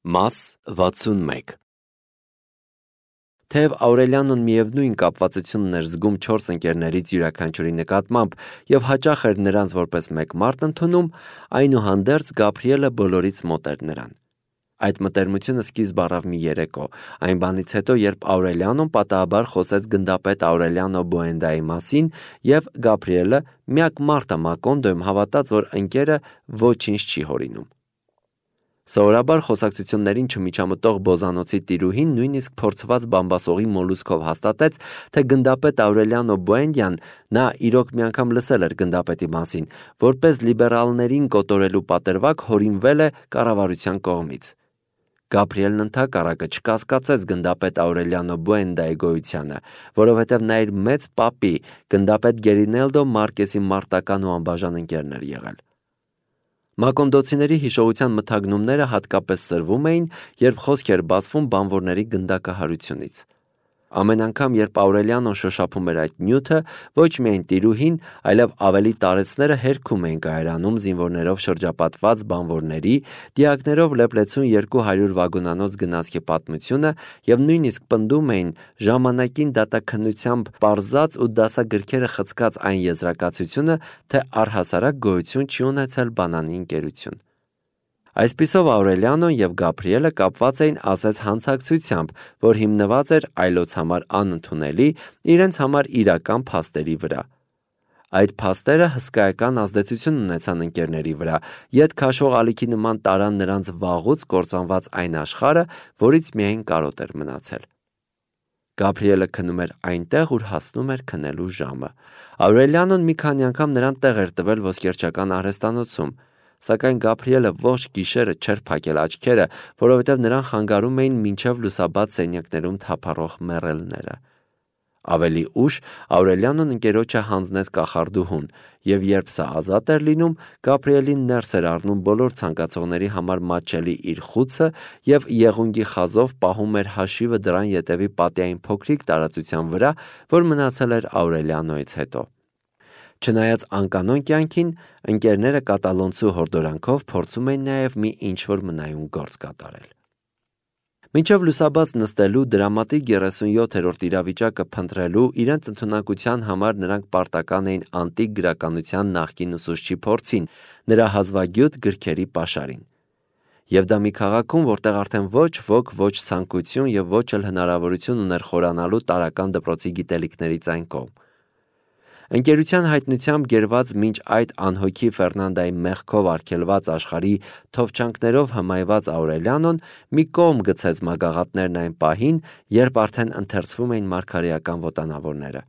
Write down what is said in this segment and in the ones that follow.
Մաս 61 Թեև Աուրելիանոն միևնույն կապվածություն ուներ զգում 4 ընկերներից յուրաքանչյուրի նկատմամբ և հաճախ էր նրանց որպես մեկ մարդ ընդունում, այնուհանդերձ Գաբրիելը բոլորից մոտ էր նրան։ Այդ մտերմությունը սկիզբ առավ մի երեկո, այն բանից հետո, երբ Աուրելիանոն պատահաբար խոսեց գնդապետ Աուրելիանո Բուենդայի մասին, և Գաբրիելը, միակ մարդը Մակոնդոյում, հավատաց, որ ընկերը ոչինչ չի հորինում։ Սովորաբար խոսակցություններին չմիջամտող Բոզանոցի տիրուհին նույնիսկ փորձված բամբասողի մոլուսկով հաստատեց, թե գնդապետ Աուրելիանո Բուենդյան, նա իրոք մի անգամ լսել էր գնդապետի մասին, որպես լիբերալներին կոտորելու պատրվակ հորինվել է կառավարության կողմից։ Գաբրիելն ընդհակառակը չկասկածեց գնդապետ Աուրելիանո Բուենդայի գոյությանը, որովհետև նա իր մեծ պապի, գնդապետ Գերինելդո Մարկեսի մարտական ու անբաժան ընկերն էր եղել։ Մակոնդոցիների հիշողության մթագնումները հատկապես սրվում էին, երբ խոսք էր բացվում բանվորների գնդակահարությունից։ Ամեն անգամ, երբ Աուրելիանոն շոշափում էր այդ նյութը, ոչ միայն տիրուհին, այլև ավելի տարեցները հերքում էին կայարանում զինվորներով շրջապատված բանվորների, դիակներով լեփլեցուն 200 վագոնանոց գնացքի պատմությունը և նույնիսկ պնդում էին ժամանակին դատաքննությամբ պարզած ու դասագրքերը խցկած այն եզրակացությունը, թե առհասարակ գոյություն չի ունեցել բանանի ընկերություն։ Այսպիսով Աուրելիանոն և Գաբրիելը կապված էին ասես հանցակցությամբ, որ հիմնված էր այլոց համար անընդունելի, իրենց համար իրական փաստերի վրա։ Այդ փաստերը հսկայական ազդեցություն ունեցան ընկերների վրա, ետ քաշող ալիքի նման տարան նրանց վաղուց կործանված այն աշխարհը, որից միայն կարոտ էր մնացել։ Գաբրիելը քնում էր այնտեղ, ուր հասնում էր քնելու ժամը։ Աուրելիանոն մի քանի անգամ նրան տեղ էր տվել ոսկերչական արհեստանոցում, սակայն Գաբրիելը ողջ գիշերը չէր փակել աչքերը, որովհետև նրան խանգարում էին մինչև լուսաբաց սենյակներում թափառող մեռելները։ Ավելի ուշ Աուրելիանոն ընկերոջը հանձնեց կախարդուհուն, և երբ սա ազատ էր լինում, Գաբրիելին ներս էր առնում բոլոր ցանկացողների համար մատչելի իր խուցը և եղունգի խազով պահում էր հաշիվը դռան ետևի պատի այն փոքրիկ տարածության վրա, որ մնացել էր Աուրելիանոից հետո։ Չնայած անկանոն կյանքին, ընկերները կատալոնցու հորդորանքով փորձում էին նաև մի ինչ-որ մնայուն գործ կատարել։ Մինչև լուսաբաց նստելու, դրամատիկ 37-րդ իրավիճակը փնտրելու իրենց ընդունակության համար նրանք պարտական էին անտիկ գրականության նախկին ուսուցչի փորձին, նրա հազվագյուտ գրքերի պաշարին։ Եվ դա մի քաղաքում, որտեղ արդեն ոչ ոք ոչ ցանկություն և ոչ էլ հնարավորություն ուներ խորանալու տարրական դպրոցի գիտելիքներից այն կողմ։ Ընկերության հայտնությամբ գերված մինչ այդ անհոգի Ֆերնանդայի մեղքով արգելված աշխարհի թովչանքներով հմայված Աուրելիանոն մի կողմ գցեց մագաղատներն այն պահին, երբ արդեն ընթերցվում էին մարգարեական ոտանավորները։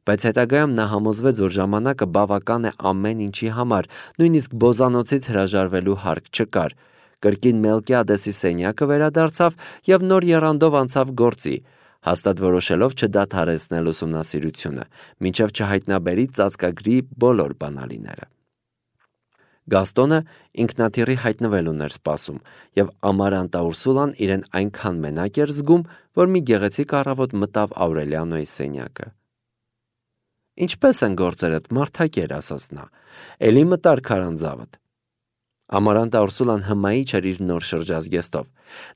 Բայց հետագայում նա համոզվեց, որ ժամանակը բավական է ամեն ինչի համար, նույնիսկ Բոզանոցից հրաժարվելու հարկ չկար։ Կրկին Մելկիադեսի սենյակը վերադարձավ և նոր եռանդով անցավ գործի, հաստատ որոշելով չդադարեցնել ուսումնասիրությունը, մինչև չհայտնաբերի ծածկագրի բոլոր բանալիները։ Գաստոնը ինքնաթիռի հայտնվել ուներ սպասում, և Ամարանտա Ուրսուլան իրեն այնքան մենակ էր զգում, որ մի գեղեցիկ առավոտ մտավ Աուրելիանոյի սենյակը։ «Ինչպե՞ս են գործերդ, մարդակեր», ասաց նա, «էլի մտար քարանձավդ»։ Ամարանտա Ուրսուլան հմայի չէր իր նոր շրջազգեստով,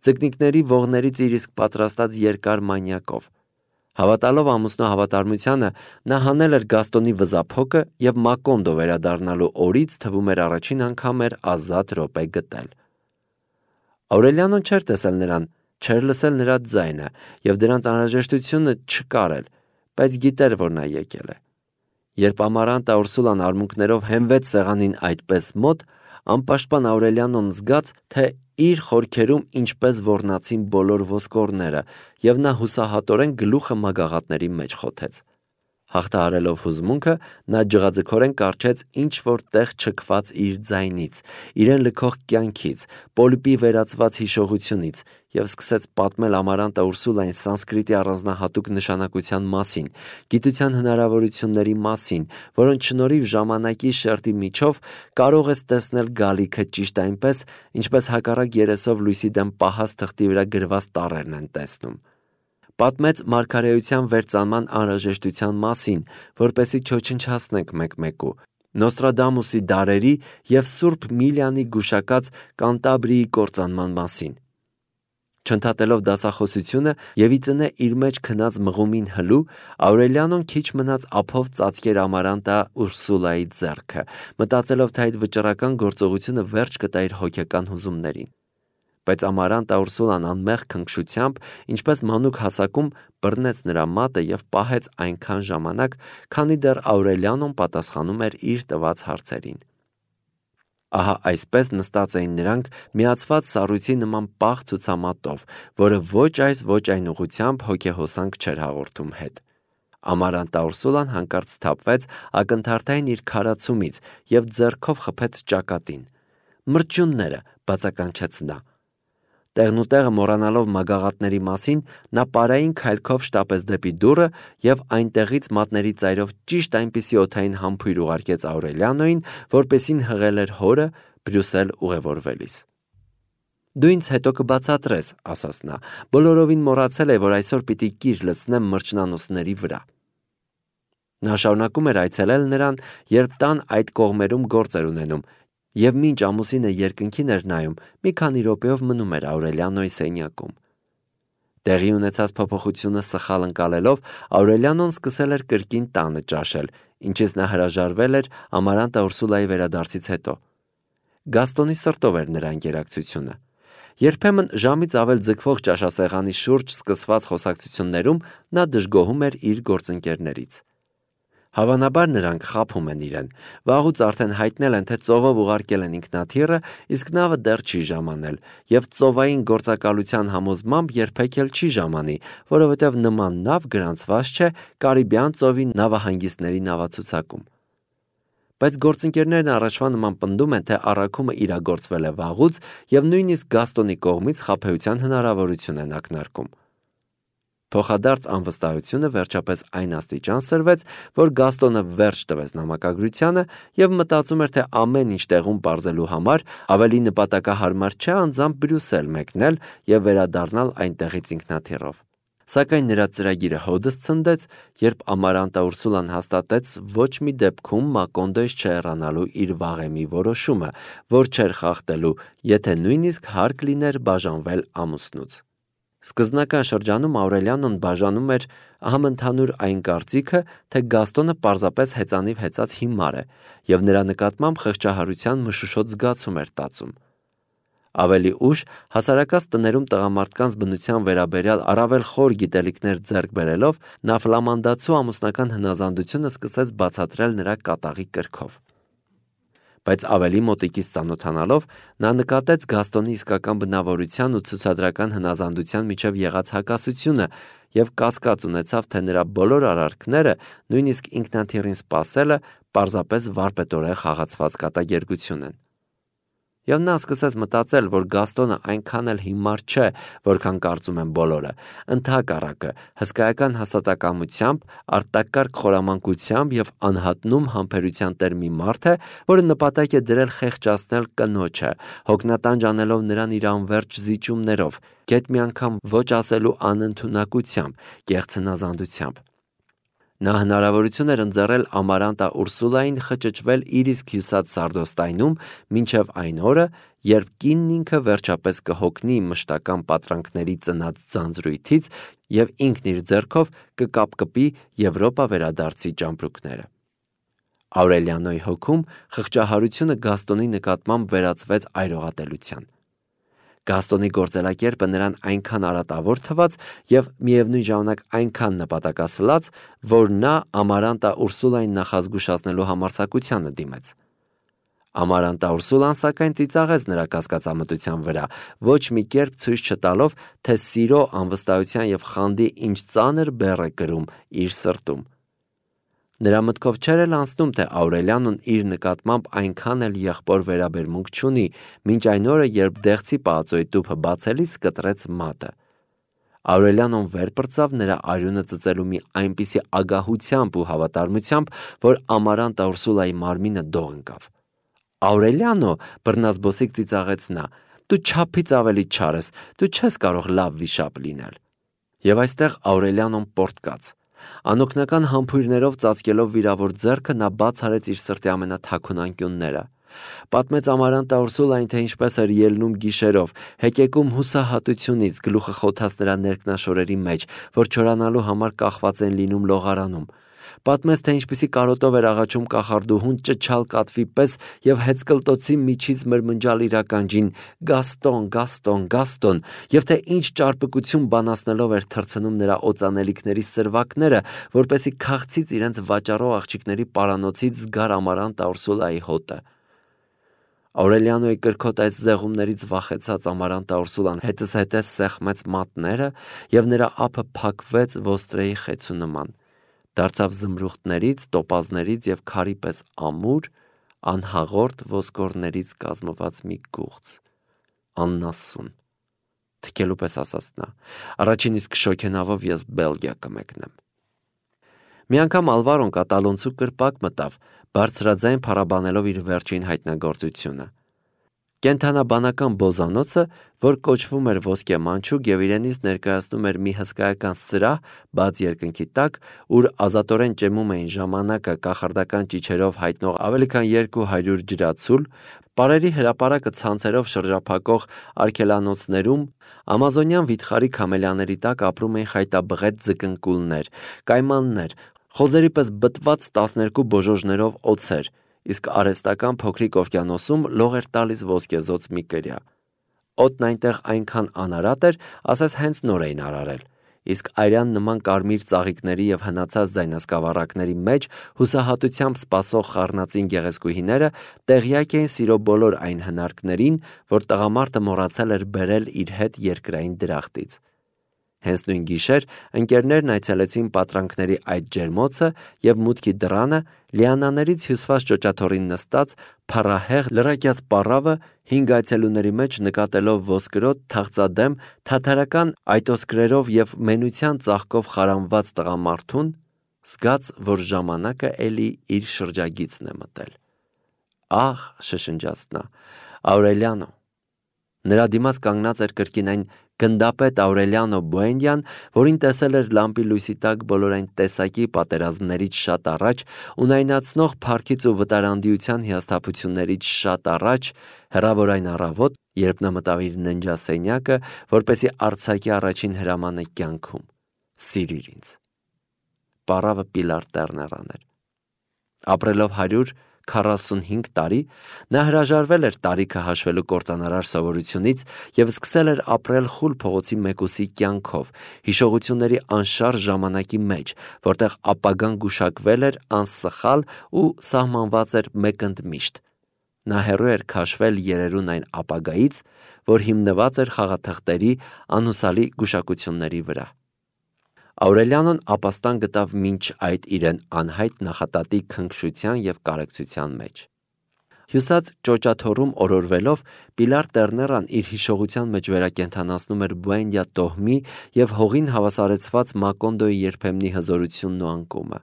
ձկնիկների ողներից իր իսկ պատրաստած երկար մանյակով։ Հավատալով ամուսնու հավատարմությանը, նա հանել էր Գաստոնի վզափոկը և Մակոնդո վերադառնալու օրից թվում էր առաջին անգամ էր ազատ րոպե գտել։ Աուրելիանոն չէր տեսել նրան, չէր լսել նրա ձայնը և դրանց անհրաժեշտությունը չկար էլ, բայց գիտեր, որ նա եկել է։ Երբ Ամարանտա Ուրսուլան արմունկներով հենվեց սեղանին այդպես մոտ, անպաշտպան Աուրելիանոն զգաց, թե իր խորքերում ինչպես ոռնացին բոլոր ոսկորները, և նա հուսահատորեն գլուխը մագաղատների մեջ խոթեց։ Հաղթահարելով հուզմունքը, նա ջղաձգորեն կառչեց ինչ-որ տեղ չքված իր ձայնից, իրեն լքող կյանքից, պոլիպի վերածված հիշողությունից և սկսեց պատմել Ամարանտա Ուրսուլային սանսկրիտի առանձնահատուկ նշանակության մասին, գիտության հնարավորությունների մասին, որոնց շնորհիվ ժամանակի շերտի միջով կարող ես տեսնել գալիքը ճիշտ այնպես, ինչպես հակառակ երեսով լույսի դեմ պահած թղթի վրա գրված տառերն են տեսնում։ Պատմեց մարգարեության վերծանման անհրաժեշտության մասին, որպեսզի չոչնչացնենք մեկ-մեկու, Նոստրադամուսի դարերի և Սուրբ Միլիանի գուշակած Կանտաբրիի կործանման մասին, Չընդհատելով դասախոսությունը եւ ի ծնե իր մեջ քնած մղումին հլու, Աուրելիանոն քիչ մնաց ափով ծածկեր Ամարանտա Ուրսուլայի ձեռքը, մտածելով, թե այդ վճռական գործողությունը վերջ կտա իր հոգեկան հուզումներին։ Բայց Ամարանտա Ուրսուլան անմեղ քնքշությամբ, ինչպես մանուկ հասակում, բռնեց նրա մատը եւ պահեց այնքան ժամանակ, քանի դեռ Աուրելիանոն պատասխանում էր իր տված հարցերին։ Ահա այսպես նստած էին նրանք միացված սառույցի նման պաղ ցուցամատով, որը ոչ այս ոչ այն ուղությամբ հոգեհոսանք չէր հաղորդում հետ։ Ամարանտա Ուրսուլան հանկարծ սթափվեց ակնթարթային իր քարացումից եւ ձեռքով խփեց ճակատին։ «Մրջյունները», բացականչեց նա։ Տեղնուտեղը մոռանալով մագաղատների մասին, նա պարային քայլքով շտապեց դեպի դուռը եւ այնտեղից մատների ծայրով ճիշտ այնպիսի օդային համբույր ուղարկեց Աուրելիանոին, որպեսին հղել էր հորը Բրյուսել ուղևորվելիս։ «Դու ինձ հետո կբացատրես», ասաց նա, բոլորովին մոռացել է, որ այսօր պիտի կիր լցնեմ մրջնանոցների վրա։ Նա շարունակում էր այցելել նրան, երբ տան այդ կողմերում գործ էր ունենում, եւ մինչ ամուսինը երկնքին էր նայում, մի քանի րոպեով մնում էր Աուրելիանոյի սենյակում։ Տեղի ունեցած փոփոխությունը սխալ ընկալելով, Աուրելիանոն սկսել էր կրկին տանը ճաշել, ինչից նա հրաժարվել էր Ամարանտա Ուրսուլայի վերադարձից հետո։ Գաստոնի սրտով էր նրա ընկերակցությունը։ Երբեմն ժամից ավել ձգվող ճաշասեղանի շուրջ սկսված խոսակցություններում նա դժգոհում էր իր գործընկերներից։ Հավանաբար նրանք խաբում են իրեն, վաղուց արդեն հայտնել են, թե ծովով ուղարկել են ինքնաթիռը, իսկ նավը դեռ չի ժամանել, եւ ծովային գործակալության համոզմամբ երբեք էլ չի ժամանի, որովհետեւ նման նավ գրանցված չէ Կարիբյան ծովի նավահանգիստների նավացուցակում։ Բայց գործընկերներն առաջվա նման պնդում են, թե առաքումը իրագործվել է վաղուց եւ նույնիսկ Գաստոնի կողմից խաբեության հնարավորություն են ակնարկում։ Փոխադարձ անվստահությունը վերջապես այն աստիճան սրվեց, որ Գաստոնը վերջ տվեց նամակագրությանը եւ մտածում էր, թե ամեն ինչ տեղում պարզելու համար ավելի նպատակահարմար չէ անձամբ Բրյուսել մեկնել եւ վերադառնալ այնտեղից ինքնաթիռով։ Սակայն նրա ծրագիրը հոդս ցնդեց, երբ Ամարանտա Ուրսուլան հաստատեց ոչ մի դեպքում Մակոնդոյից չհեռանալու իր վաղեմի որոշումը, որ չէր խախտելու, եթե նույնիսկ հարկ լիներ բաժանվել ամուսնուց։ Սկզբնական շրջանում Աուրելիանոն բաժանում էր համընդհանուր այն կարծիքը, թե Գաստոնը պարզապես հեծանիվ հեծած հիմար է եւ նրա նկատմամբ խղճահարության մշուշոտ զգացում էր տածում։ Ավելի ուշ հասարակած տներում տղամարդկանց բնության վերաբերյալ առավել խոր գիտելիքներ ձեռք բերելով, նա ֆլամանդացու ամուսնական հնազանդությունը սկսեց բացատրել նրա կատաղի կրքով։ Բայց ավելի մոտիկից ծանոթանալով, նա նկատեց Գաստոնի իսկական բնավորության ու ցուցադրական հնազանդության միջև եղած հակասությունը եւ կասկած ունեցավ, թե նրա բոլոր արարքները, նույնիսկ ինքնաթիռին սպասելը, պարզապես վարպետորեն խաղացված կատակերգություն են։ Եվ նա սկսեց մտածել, որ Գաստոնը այնքան էլ հիմար չէ, որքան կարծում են բոլորը, ընդհակառակը, հսկայական հաստատակամությամբ, արտակարգ խորամանկությամբ եւ անհատնում համբերության տեր մի մարդ է, որը նպատակ է դրել խեղճացնել կնոջը, հոգնատանջ անելով նրան իր անվերջ զիջումներով, գեթ մի անգամ ոչ ասելու անընդունակությամբ, կեղծ հնազանդությամբ։ Նա հնարավորություն էր ընձեռել Ամարանտա Ուրսուլային խճճվել իր իսկ հյուսած Սարդոստայնում մինչև այն օրը, երբ կինն ինքը վերջապես կհոգնի մշտական պատրանքների ծնած ձանձրույթից եւ ինքն իր ձեռքով կկապկպի Եվրոպա վերադարձի ճամպրուկները։ Աուրելիանոյի հոգում խղճահարությունը Գաստոնի նկատմամբ վերածվեց այրողատելության։ Գաստոնի գործելակերպը նրան այնքան արատավոր թվաց եւ միևնույն ժամանակ այնքան նպատակասլաց, որ նա Ամարանտա Ուրսուլային նախազգուշացնելու համարձակությանը դիմեց։ Ամարանտա Ուրսուլան սակայն ծիծաղեց նրա կասկածամտության վրա, ոչ մի կերպ ցույց չտալով, թե սիրո, անվստահության եւ խանդի ինչ ծանր բեռ է կրում իր սրտում։ Նրա մտքով չէր էլ անցնում, թե Աուրելիանոն իր նկատմամբ այնքան էլ եղբոր վերաբերմունք չունի, մինչ այն օրը, երբ դեղցի պահածոյի տուփը բացելիս կտրեց մատը։ Աուրելիանոն վեր պրծավ նրա արյունը ծծելու մի այնպիսի ագահությամբ ու հավատարմությամբ, որ Ամարանտա Ուրսուլայի մարմինը դող ընկավ։ Աուրելիանո, բռնազբոսիկ ծիծաղեց նա, դու չափից ավելի չար ես, դու չես կարող լավ վիշապ լինել։ Եվ այստեղ Աուրելիանոն պոռթկաց։ Անօգնական համբույրներով ծածկելով վիրավոր ձեռքը նա բաց արեց իր սրտի ամենաթաքուն անկյունները։ Պատմեց Ամարանտա Ուրսուլային, թե ինչպես էր ելնում գիշերով, հեկեկում հուսահատությունից, գլուխը խոթած նրա ներքնաշորերի մեջ, որ չորանալու համար կախված են լինում լողարանում։ Պատմեց, թե ինչպիսի կարոտով էր աղաչում կախարդուհուն ճչալ կատվի պես եւ հեծկլտոցի միջից մրմնջալ իր ականջին «Գաստոն, Գաստոն, Գաստոն», եւ թե ինչ ճարպկություն բանացնելով էր թռցնում նրա օծանելիքների սրվակները, որպեսի քաղցից իրենց վաճառող աղջիկների պարանոցից զգար Ամարանտա Ուրսուլայի հոտը։ Աուրելիանոյի կրքոտ այս զեղումներից վախեցած Ամարանտա Ուրսուլան հետզհետե սեղմեց մատները եւ նրա ափը փակվեց ոստրեի խեցու նման։ Դարձավ զմրուխտներից, տոպազներից եւ քարի պես ամուր, անհաղորդ ոսկորներից կազմված մի գուղց, աննասուն։ Թքելու պես ասաց նա. առաջին իսկ շոքենավով ես Բելգիա կմեկնեմ։ Մի անգամ Ալվարոն կատալոնցու կրպակ մտավ, բարձրաձայն փառաբանելով իր վերջին հայտնագործությունը։ Կենթանաբանական բոզանոցը, որ կոչվում էր ոսկե մանչուկ եւ իրենից ներկայացնում էր մի հսկայական սրահ բաց երկնքի տակ, ուր ազատորեն ճեմում էին ժամանակը կախարդական ճիչերով հայտնող ավելի քան 200 ջրացուլ, պարերի հրապարակը ցանցերով շրջափակող արգելանոցներում, ամազոնյան վիթխարի քամելյաների տակ ապրում էին խայտաբղետ ձկնկուլներ, կայմաններ, խոզերի պես բտված 12 բոժոժներով օձեր, իսկ արհեստական փոքրիկ օվկիանոսում լող էր տալիս ոսկեզոծ մի կրյա։ Օդն այնտեղ այնքան անարատ էր, ասես հենց նոր էին արարել, իսկ այրան նման կարմիր ծաղիկների եւ հնացած ձայնասկավառակների մեջ հուսահատությամբ սպասող խառնածին գեղեցկուհիները տեղյակ էին սիրո բոլոր այն հնարքներին, որ տղամարդը մոռացել էր բերել իր հետ երկրային դրախտից։ Հենց նույն գիշեր ընկերներն այցելեցին պատրանքների այդ ջերմոցը եւ մուտքի դռանը լիանաներից հյուսված ճոճաթոռին նստած փառահեղ լրակյաց պառավը 5 այցելուների մեջ նկատելով ոսկրոտ թախծադեմ թաթարական այտոսկրերով եւ մենության ծաղկով խարանված տղամարդուն զգաց, որ ժամանակը էլի իր շրջագիծն է մտել։ Ահ, շշնջաց նա, Աուրելիանո։ Նրա դիմաց կանգնած էր կրկին այն գնդապետ Աուրելիանո Բուենդյան, որին տեսել էր լամպի լույսի տակ բոլոր այն տեսակի պատերազմներից շատ առաջ, ունայնացնող փառքից ու վտարանդիության հիասթափություններից շատ առաջ, հեռավոր այն առավոտ, երբ նա մտավ իր ննջասենյակը, որպեսի արձակի առաջին հրամանը կյանքում. «Սիրիր ինձ»։ Պառավը Պիլար Տերներան էր։ Ապրելով 145 տարի, նա հրաժարվել էր տարիքը հաշվելու կործանարար սովորությունից եւ սկսել էր ապրել խուլ փողոցի մեկուսի կյանքով, հիշողությունների անշարժ ժամանակի մեջ, որտեղ ապագան գուշակվել էր անսխալ ու սահմանված էր մեկընդմիշտ։ Նա հեռու էր քաշվել երերուն այն ապագայից, որ հիմնված էր խաղաթղթերի անհուսալի գուշակությունների վրա։ Աուրելիանոն ապաստան գտավ մինչ այդ իրեն անհայտ նախատատի քնքշության եւ կարեկցության մեջ։ Հյուսած ճոճաթոռում օրորվելով Պիլար Տերներան իր հիշողության մեջ վերակենդանացնում էր Բուենդյա տոհմի եւ հողին հավասարեցված Մակոնդոյի երբեմնի հզորությունն ու անկումը։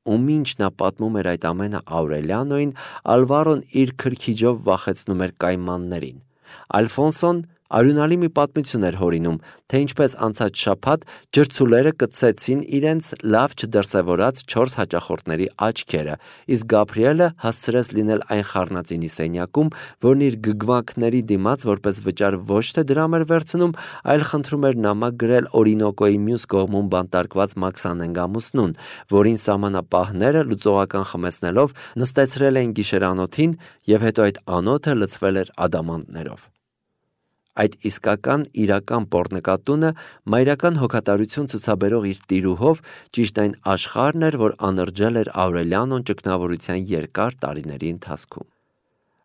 Ու մինչ նա պատմում էր այդ ամենը Աուրելիանոին, Ալվարոն իր քրքիջով վախեցնում էր կայմաններին։ Ալֆոնսոն արյունալի մի պատմություն էր հորինում, թե ինչպես անցած շաբաթ ջրցուլերը կծեցին իրենց լավ չդրսևորած 4 հաճախորդների աչքերը, իսկ Գաբրիելը հասցրեց լինել այն խառնածինի սենյակում, որն իր գգվանքների դիմաց որպես վճար ոչ թե դրամ էր վերցնում, այլ խնդրում էր նամակ գրել Օրինոկոյի մյուս կողմում բանտարկված Մաքսանենգ ամուսնուն, որին սահմանապահները լուծողական խմեցնելով նստեցրել էին գիշերանոթին եւ հետո այդ անոթը լցվել էր ադամանդներով։ Այդ իսկական իրական պոռնկատունը մայրական հոգատարություն ցուցաբերող իր տիրուհով ճիշտ այն աշխարհն էր, որ անրջել էր Աուրելիանոն ճգնավորության երկար տարիների ընթացքում։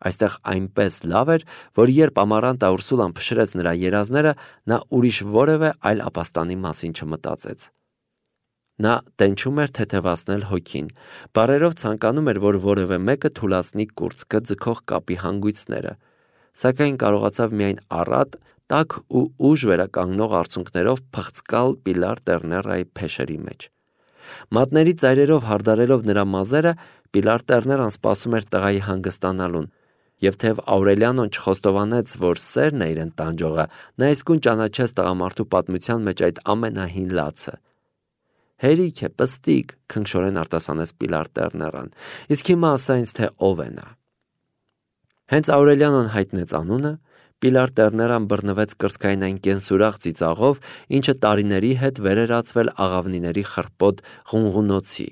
Այստեղ այնպես լավ էր, որ երբ Ամարանտա Ուրսուլան փշրեց նրա երազները, նա ուրիշ որևէ այլ ապաստանի մասին չմտածեց։ Նա տենչում էր թեթևացնել հոգին, բարերով ցանկանում էր, որ որևէ մեկը թուլացնի կուրծքը ձգող կապի հանգույցները, սակայն կարողացավ միայն առատ, տաք ու ուժ վերականգնող արցունքներով փղծկալ Պիլար Տերներայի փեշերի մեջ։ Մատների ծայրերով հարդարելով նրա մազերը, Պիլար Տերներան սպասում էր տղայի հանգստանալուն, եւ թեև Աուրելիանոն չխոստովանեց, որ սերն է իրեն տանջողը, նա իսկույն ճանաչեց տղամարդու պատմության մեջ այդ ամենահին լացը։ Հերիք է, պստիկ, քնքշորեն արտասանեց Պիլար Տերներան, իսկ հիմա ասա ինձ, թե ով է նա։ Հենց Աուրելիանոն հայտնեց անունը, Պիլար Տերներան բռնվեց կրծքային այն կենսուրախ ծիծաղով, ինչը տարիների հետ վեր էր ածվել աղավնիների խռպոտ ղունղունոցի,